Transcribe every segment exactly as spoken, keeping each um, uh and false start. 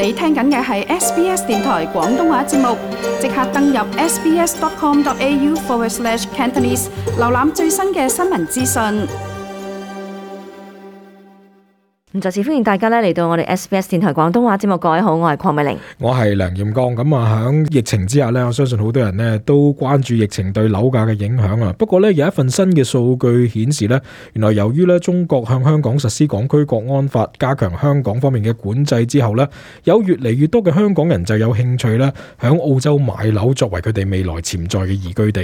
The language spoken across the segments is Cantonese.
你聽緊嘅係 S B S 電台廣東話節目，即刻登入 sbs.com.au forward slash Cantonese， 瀏覽最新嘅新聞資訊。咁再次歡迎大家咧嚟到我哋 S B S 電台廣東話節目，各位好，我係鄺美玲，我係梁艷剛。咁啊，喺疫情之下呢，我相信好多人呢都關注疫情對樓價嘅影響啊。不過呢，有一份新嘅數據顯示呢，原來由於呢中國向香港實施港區國安法，加強香港方面嘅管制之後呢，有越嚟越多嘅香港人就有興趣呢喺澳洲買樓作為佢哋未來潛在嘅移居地。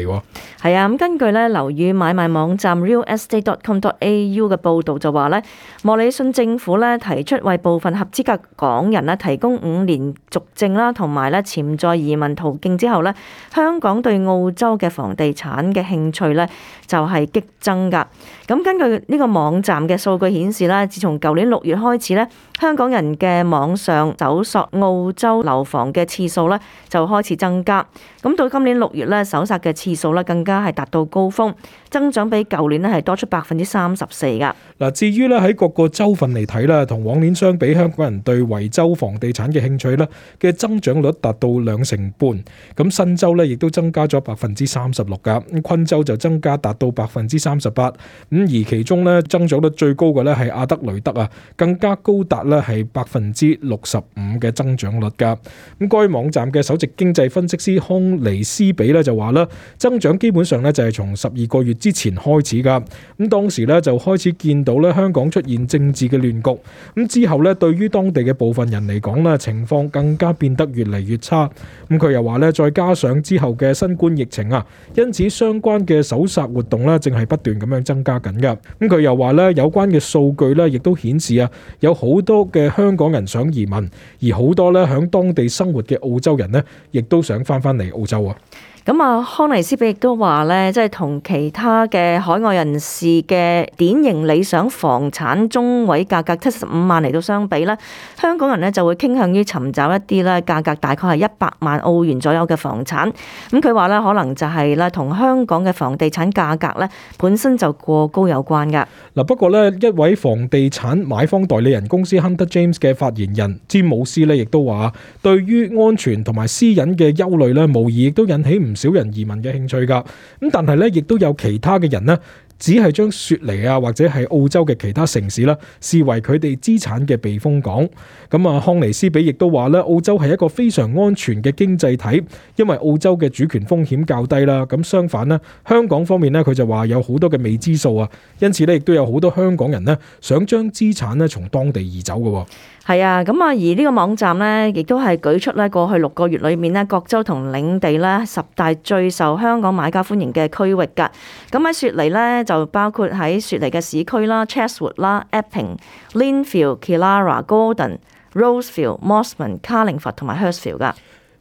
係啊，咁根據呢樓宇買賣網站 real estate dot com dot a u 嘅報導就話呢，莫里遜政府咧提出為部分合資格港人咧提供五年續證啦，同埋咧潛在移民途徑之後咧，香港對澳洲嘅房地產嘅興趣咧就係激增㗎。咁根據呢個網站嘅數據顯示咧，自從舊年六月開始咧，香港人嘅網上搜索澳洲樓房嘅次數咧就開始增加。咁到今年六月咧，搜索嘅次數咧更加係達到高峰，增長比舊年咧係多出百分之三十四㗎。嗱，至於咧喺各個州份嚟睇啦，同往年相比，香港人對維州房地產嘅興趣咧嘅增長率達到兩成半。咁新州咧亦都增加咗百分之三十六㗎，咁昆州就增加達到百分之三十八。咁而其中咧增長率最高嘅咧係阿德雷德啊，更加高達咧係百分之六十五嘅增長率㗎。咁該網站嘅首席經濟分析師康尼斯比咧就話啦，增長基本上咧就係從十二個月之前開始㗎。咁當時咧就開始見到咧香港出現政治嘅亂局。咁之後咧，對於當地嘅部分人嚟講咧，情況更加變得越嚟越差。咁佢又話咧，再加上之後嘅新冠疫情啊，因此相關嘅搜索活動咧，正係不斷咁樣增加緊㗎。咁佢又話咧，有關嘅數據咧，亦都顯示啊，有好多嘅香港人想移民，而好多咧響當地生活嘅澳洲人呢，亦都想翻翻嚟澳洲啊。咁啊，康尼斯比亦都話咧，即係同其他嘅海外人士嘅典型理想房產中位價格七十五萬嚟到相比咧，香港人咧就會傾向於尋找一啲咧價格大概係一百萬澳元左右嘅房產。咁佢話咧，可能就係咧同香港嘅房地產價格咧本身就過高有關㗎。嗱，不過咧一位房地產買方代理人公司 Hunter James 嘅發言人詹姆斯咧，亦都話對於安全同埋私隱嘅憂慮咧，無疑亦都引起唔少人移民嘅興趣㗎。咁但係咧，亦都有其他嘅人呢，只係將雪梨啊或者係澳洲嘅其他城市啦，視為佢哋資產嘅避風港。咁啊，康尼斯比亦都話咧，澳洲係一個非常安全嘅經濟體，因為澳洲嘅主權風險較低啦。咁相反呢，香港方面呢，佢就話有好多嘅未知數啊，因此咧亦都有好多香港人呢，想將資產呢從當地移走嘅。係啊，咁啊，而呢個網站呢，亦都係舉出咧過去六個月裏面呢，各州同領地咧十大最受香港買家歡迎嘅區域㗎。咁喺雪梨呢，就包括喺雪梨嘅市區啦、Chatswood 啦、Epping、Lynfield、Killara、Gordon、Rosefield、Mosman、Carlingford 同埋 Hurstville 㗎。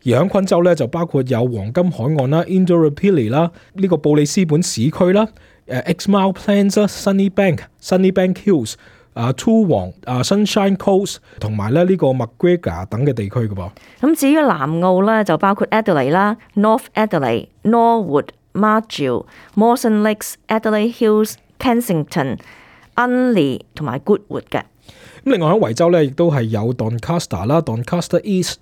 而喺昆州咧就包括有黃金海岸啦、Indooroopilly 啦、呢個布里斯本市區啦、誒 Exmouth Plains 啦、Sunnybank、Sunnybank Hills。啊 Toowong 啊 Sunshine Coast 同埋咧呢個 Macgregor 等嘅地區嘅噃。咁至於南澳咧就包括 Adelaide 啦、North Adelaide、Norwood、Margil、Mawson Lakes、Adelaide Hills、Kensington、Unley 同埋 Goodwood 嘅。咁另外喺維州咧亦都係有 Doncaster 啦、Doncaster East、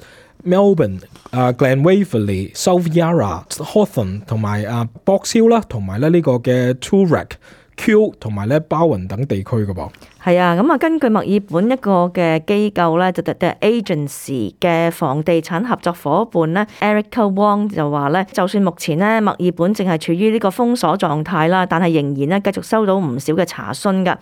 Melbourne、啊 Glenwaverley、South Yarra、Hawthorn 同埋啊 Box Hill 啦，同埋咧呢個嘅 Toorak、Kew 同埋咧包雲等地區嘅噃。係啊，咁啊，根據墨爾本一個嘅機構咧，就 The Agency 嘅房地產合作伙伴咧 Erica Wong 就話咧，就算目前咧墨爾本淨係處於呢個封鎖狀態啦，但係仍然咧繼續收到唔少嘅查詢㗎。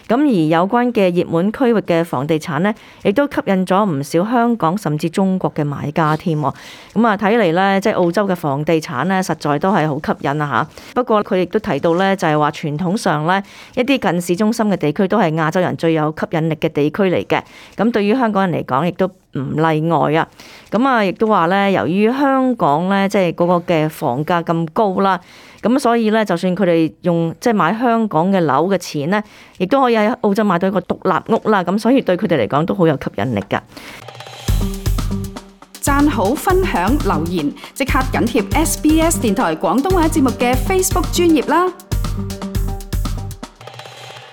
咁而有關嘅熱門區域嘅房地產咧，亦都吸引咗唔少香港甚至中國嘅買家添。咁啊，睇嚟咧，即係澳洲嘅房地產咧，實在都係好吸引啊嚇。不過佢亦都提到咧，就係話傳統上咧，一啲近市中心嘅地區都係亞洲人最有吸引力嘅地區嚟嘅。咁對於香港人嚟講，亦都唔例外啊。咁啊，亦都話咧，由於香港咧，即係嗰個嘅房價咁高啦，咁所以咧，就算佢哋用即係買香港嘅樓嘅錢咧，亦都可以喺澳洲買到一個獨立屋啦。咁所以對佢哋嚟講都好有吸引力㗎。讚好、分享、留言，即刻緊貼 S B S 電台廣東話節目嘅 Facebook 專頁啦！